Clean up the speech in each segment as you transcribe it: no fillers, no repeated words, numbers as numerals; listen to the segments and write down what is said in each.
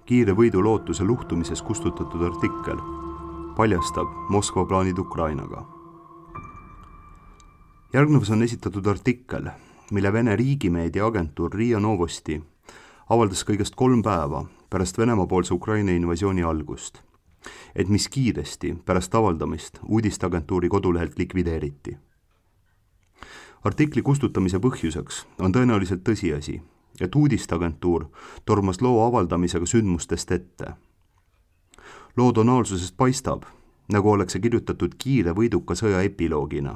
kiire võidu lootuse luhtumises kustutatud artikkel paljastab Moskva plaanid Ukrainaga. Järgnevas on esitatud artikkel, mille Vene riigimeedia agentuur RIA Novosti avaldas kõigest 3 päeva pärast Venemaa-poolse Ukraina invasiooni algust, et mis kiiresti pärast avaldamist uudisteagentuuri kodulehelt likvideeriti. Artikli kustutamise põhjuseks on tõenäoliselt tõsiasi, et uudisteagentuur tormas loo avaldamisega sündmustest ette. Loo tonaalsusest paistab, nagu oleks see kirjutatud kiire võiduka sõja epiloogina.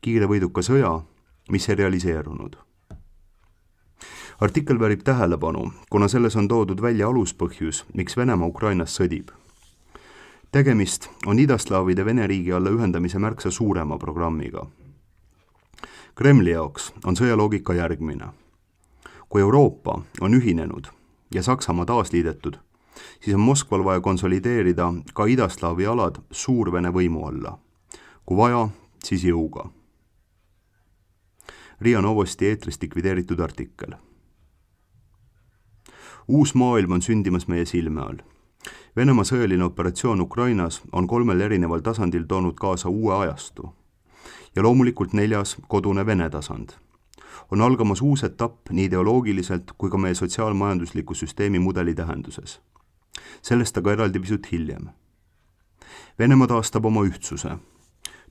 Kiire võiduka sõja, mis ei realiseerunud. Artikkel väärib tähelepanu, kuna selles on toodud välja aluspõhjus, miks Venemaa Ukrainas sõdib. Tegemist on idaslaavide Vene riigi alla ühendamise märksa suurema programmiga. Kremli jaoks on sõjaloogika järgmine. Kui Euroopa on ühinenud ja Saksamaa taasliidetud, siis on Moskval vaja konsolideerida ka idaslaavi alad Suur-Vene võimu alla. Kui vaja, siis jõuga. RIA Novosti eetrist likvideeritud artikkel. Uus maailm on sündimas meie silme all. Venemaa sõjaline operatsioon Ukrainas on 3 erineval tasandil toonud kaasa uue ajastu. Ja loomulikult 4. kodune Vene tasand. On algamas uus etapp nii ideoloogiliselt kui ka meie sotsiaalmajandusliku süsteemi mudeli tähenduses. Sellest aga eraldi pisut hiljem. Venemaa taastab oma ühtsuse.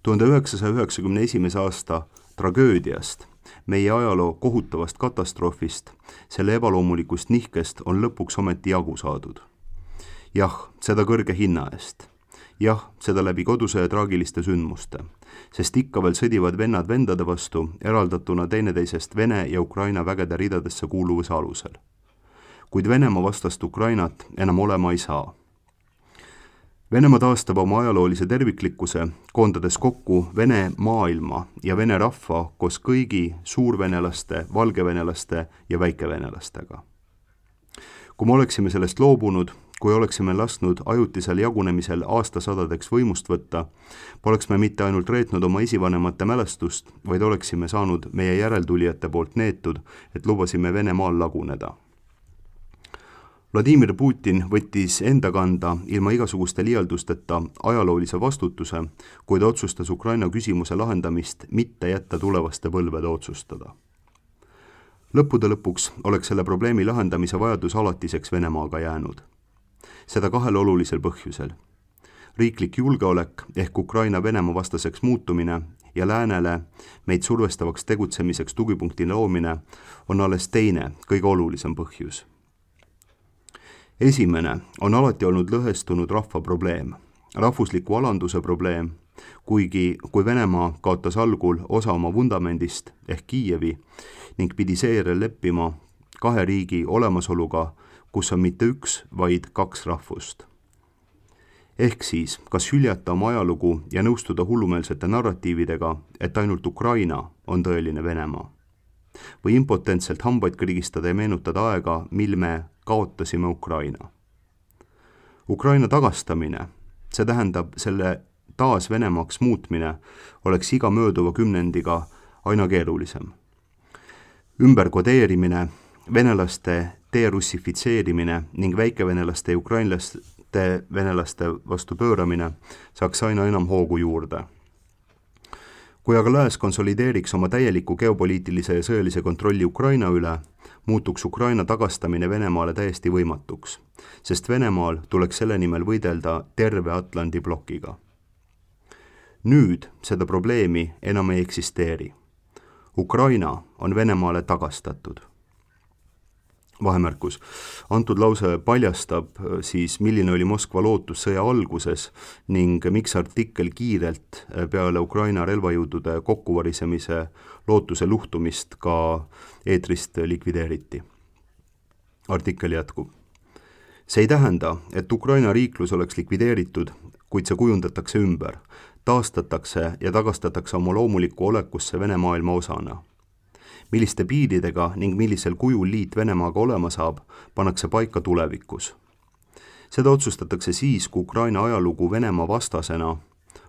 1991. aasta tragöödiast, meie ajaloo kohutavast katastroofist, selle ebaloomulikust nihkest on lõpuks ometi jagu saadud. Jah, seda kõrge hinna eest. Jah, seda läbi kodusõja traagiliste sündmuste, sest ikka veel sõdivad vennad vendade vastu, eraldatuna teineteisest Vene ja Ukraina vägede ridadesse kuuluvuse alusel. Kuid Venemaa vastast Ukrainat enam olema ei saa. Venemaa taastab oma ajaloolise terviklikkuse, koondades kokku Vene maailma ja Vene rahva koos kõigi suurvenelaste, valgevenelaste ja väikevenelastega. Kui me oleksime sellest loobunud, kui oleksime lasknud ajutisel jagunemisel aastasadadeks võimust võtta, poleks me mitte ainult reetnud oma esivanemate mälestust, vaid oleksime saanud meie järeltulijate poolt neetud, et lubasime Venemaal laguneda. Vladimir Putin võttis enda kanda ilma igasuguste liialdusteta ajaloolise vastutuse, kui ta otsustas Ukraina küsimuse lahendamist mitte jätta tulevaste põlvede otsustada. Lõppude lõpuks oleks selle probleemi lahendamise vajadus alatiseks Venemaaga jäänud. Seda 2 olulisel põhjusel. Riiklik julgeolek ehk Ukraina Venemaa vastaseks muutumine ja läänele meid survestavaks tegutsemiseks tugipunkti loomine on alles teine, kõige olulisem põhjus. Esimene on alati olnud lõhestunud rahva probleem, rahvusliku alanduse probleem, kuigi kui Venemaa kaotas algul osa oma vundamendist ehk Kiievi ning pidi seejärel leppima 2 riigi olemasoluga, kus on mitte 1, vaid 2 rahvust. Ehk siis, kas hüljata oma ajalugu ja nõustuda hullumeelsete narratiividega, et ainult Ukraina on tõeline Venemaa? Või impotentselt hambaid krigistada ja meenutada aega, mil me kaotasime Ukraina? Ukraina tagastamine, see tähendab selle taas Venemaaks muutmine, oleks iga mööduva kümnendiga aina keerulisem. Ümberkodeerimine, venelaste derussifitseerimine ning väikevenelaste ja ukrainlaste venelaste vastu pööramine saaks aina enam hoogu juurde. Kui aga lääs konsolideeriks oma täieliku geopoliitilise ja sõjalise kontrolli Ukraina üle, muutuks Ukraina tagastamine Venemaale täiesti võimatuks, sest Venemaal tuleks selle nimel võidelda terve Atlandi blokiga. Nüüd seda probleemi enam ei eksisteeri. Ukraina on Venemaale tagastatud. Vahemärkus. Antud lause paljastab siis, milline oli Moskva lootus sõja alguses ning miks artikkel kiirelt peale Ukraina relvajõudude kokkuvarisemise lootuse luhtumist ka eetrist likvideeriti. Artikkel jätkub. See ei tähenda, et Ukraina riiklus oleks likvideeritud, kuid see kujundatakse ümber, taastatakse ja tagastatakse oma loomulikku olekusse Vene maailma osana. Milliste piiridega ning millisel kujul liit Venemaaga olema saab, pannakse paika tulevikus. Seda otsustatakse siis, kui Ukraina ajalugu Venemaa vastasena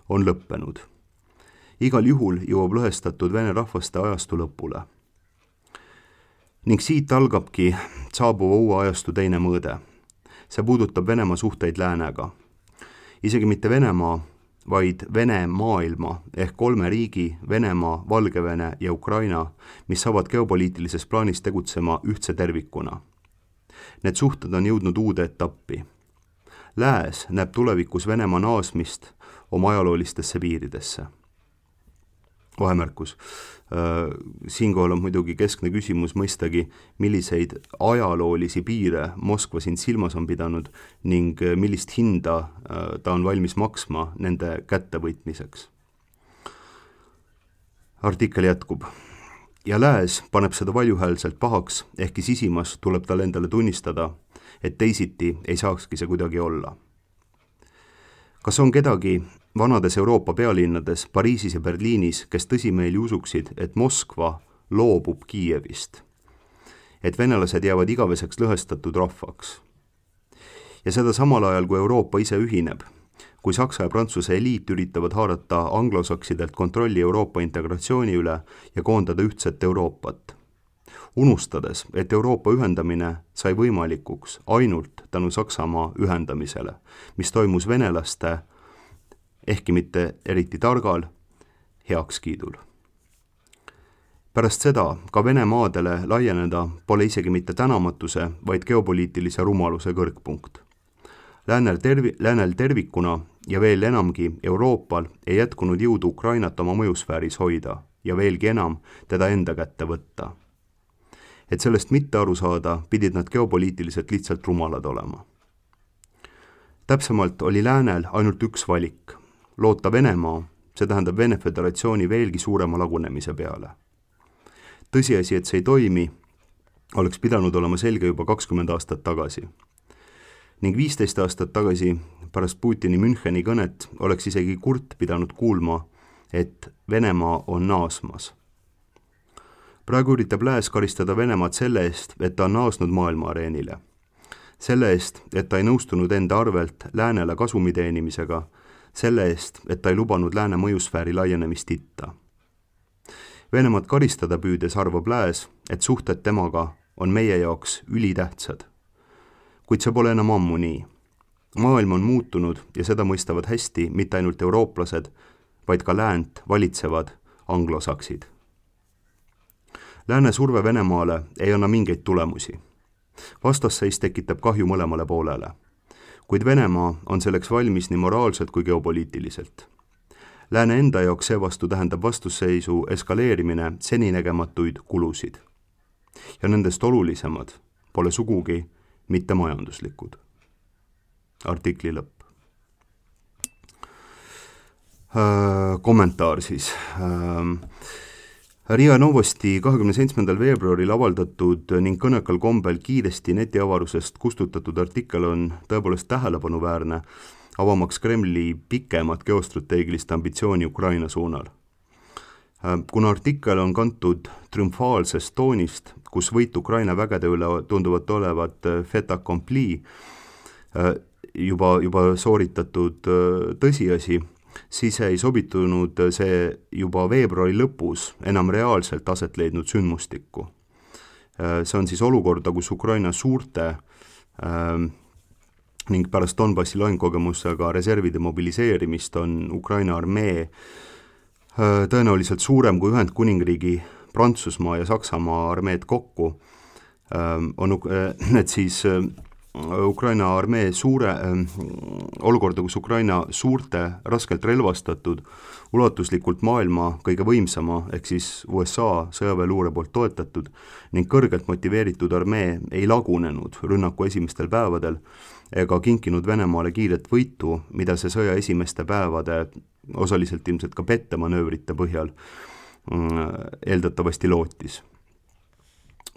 on lõppenud. Igal juhul jõuab lõhestatud Vene rahvaste ajastu lõpule. Ning siit algabki saabuva uue ajastu teine mõõde. See puudutab Venemaa suhteid läänega. Isegi mitte Venemaa, vaid Vene maailma ehk 3 riigi, Venemaa, Valgevene ja Ukraina, mis saavad geopoliitilises plaanis tegutsema ühtse tervikuna. Need suhted on jõudnud uude etappi. Lääs näeb tulevikus Venemaa naasmist oma ajaloolistesse piiridesse. Vahemärkus. Siinkohal on muidugi keskne küsimus mõistagi, milliseid ajaloolisi piire Moskva siin silmas on pidanud ning millist hinda ta on valmis maksma nende kättevõitmiseks. Artikkel jätkub. Ja Lääs paneb seda valjuhäälselt pahaks, ehkki sisimas tuleb tal endale tunnistada, et teisiti ei saakski see kuidagi olla. Kas on kedagi vanades Euroopa pealinnades, Pariisis ja Berliinis, kes tõsimeeli usuksid, et Moskva loobub Kiievist, et venelased jäävad igaveseks lõhestatud rahvaks? Ja seda samal ajal, kui Euroopa ise ühineb, kui Saksa ja Prantsuse eliit üritavad haarata anglosaksidelt kontrolli Euroopa integratsiooni üle ja koondada ühtset Euroopat, unustades, et Euroopa ühendamine sai võimalikuks ainult tänu Saksamaa ühendamisele, mis toimus venelaste, ehkki mitte eriti targal, heakskiidul. Pärast seda ka Vene maadele laieneda pole isegi mitte tänamatuse, vaid geopoliitilise rumaluse kõrgpunkt. Läänel tervikuna ja veel enamgi Euroopal ei jätkunud jõudu Ukrainat oma mõjusfääris hoida ja veelgi enam teda enda kätte võtta. Et sellest mitte aru saada, pidid nad geopoliitiliselt lihtsalt rumalad olema. Täpsemalt oli Läänel ainult üks valik. Loota Venemaa, see tähendab Vene Föderatsiooni veelgi suurema lagunemise peale. Tõsiasi, et see ei toimi, oleks pidanud olema selge juba 20 aastat tagasi. Ning 15 aastat tagasi, pärast Putini Müncheni kõnet, oleks isegi Kurt pidanud kuulma, et Venemaa on naasmas. Praegu üritab Lääs karistada Venemaad selle eest, et ta on naasnud maailma areenile. Selle eest, et ta ei nõustunud enda arvelt Läänele kasumi teenimisega, selle eest, et ta ei lubanud Lääne mõjusfääri laienemist itta. Venemaad karistada püüdes arvab Lääs, et suhted temaga on meie jaoks ülitähtsad. Kuid see pole enam ammu nii. Maailm on muutunud ja seda mõistavad hästi mitte ainult eurooplased, vaid ka läänt valitsevad anglosaksid. Lääne surve Venemaale ei anna mingeid tulemusi. Vastasseis tekitab kahju mõlemale poolele. Kuid Venemaa on selleks valmis nii moraalselt kui geopoliitiliselt. Lääne enda jaoks seevastu tähendab vastusseisu eskaleerimine seninägematuid kulusid. Ja nendest olulisemad pole sugugi mitte majanduslikud. Artikli lõpp. Kommentaar siis. Riia Novosti 27. veebruaril avaldatud ning kõnekal kombel kiiresti netiavarusest kustutatud artikkel on tõepoolest tähelepanuväärne, avamaks Kremli pikemat geostrateegilist ambitsiooni Ukraina suunal. Kuna artikkel on kantud triumfaalsest toonist, kus võit Ukraina vägede üle tunduvat olevat fait accompli, juba sooritatud tõsiasi, siis ei sobitunud see juba veebruari lõpus enam reaalselt aset leidnud sündmustikku. See on siis olukorda, kus Ukraina suurte ning pärast Donbassi lahingukogemusega reservide mobiliseerimist on Ukraina armee tõenäoliselt suurem kui Ühendkuningriigi, Prantsusmaa ja Saksamaa armeed kokku. Et siis Ukraina armee olukorda, kus Ukraina suurte, raskelt relvastatud, ulatuslikult maailma kõige võimsama, ehk siis USA sõjaväeluure poolt toetatud ning kõrgelt motiveeritud armee ei lagunenud rünnaku esimestel päevadel ega kinkinud Venemaale kiiret võitu, mida see sõja esimeste päevade osaliselt ilmselt ka pettemanöövrite põhjal eeldatavasti lootis.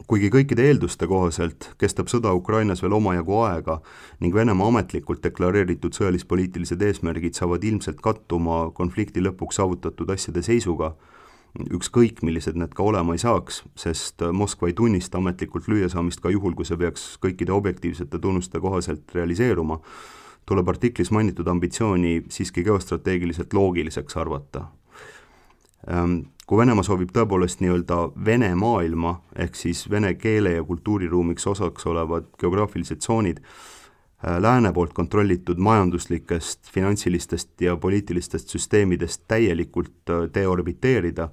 Kuigi kõikide eelduste kohaselt kestab sõda Ukrainas veel omajagu aega ning Venemaa ametlikult deklareeritud sõjalis-poliitilised eesmärgid saavad ilmselt kattuma konflikti lõpuks saavutatud asjade seisuga, ükskõik millised need ka olema ei saaks, sest Moskva ei tunnista ametlikult lüüasaamist ka juhul, kui see peaks kõikide objektiivsete tunnuste kohaselt realiseeruma, tuleb artiklis mainitud ambitsiooni siiski geostrateegiliselt loogiliseks arvata. Kui Venemaa soovib tõepoolest nii-öelda Vene maailma, ehk siis vene keele ja kultuuriruumiks osaks olevad geograafilised tsoonid lääne poolt kontrollitud majanduslikest, finantsilistest ja poliitilistest süsteemidest täielikult deorbiteerida,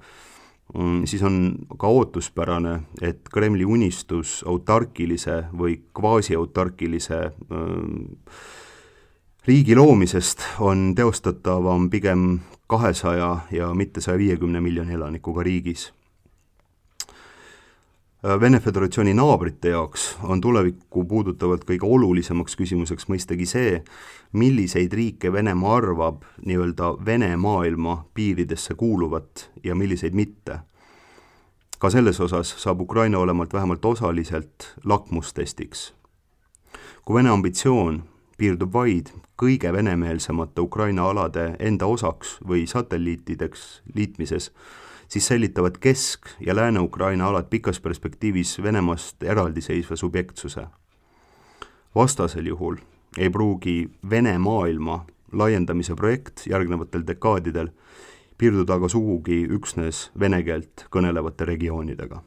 siis on ka ootuspärane, et Kremli unistus autarkilise või kvaasiautarkilise riigi loomisest on teostatavam pigem 200 ja mitte 150 miljoni elanikuga riigis. Vene Föderatsiooni naabrite jaoks on tulevikku puudutavalt kõige olulisemaks küsimuseks mõistagi see, milliseid riike Venemaa arvab nii-öelda Vene maailma piiridesse kuuluvat ja milliseid mitte. Ka selles osas saab Ukraina olemalt vähemalt osaliselt lakmustestiks. Kui Vene ambitsioon piirdub vaid kõige venemeelsemate Ukraina alade enda osaks või satelliitideks liitmises, siis säilitavad Kesk- ja Lääne-Ukraina alad pikas perspektiivis Venemaast eraldiseisva subjektsuse. Vastasel juhul ei pruugi Vene maailma laiendamise projekt järgnevatel dekaadidel piirduda aga sugugi üksnes vene keelt kõnelevate regioonidega.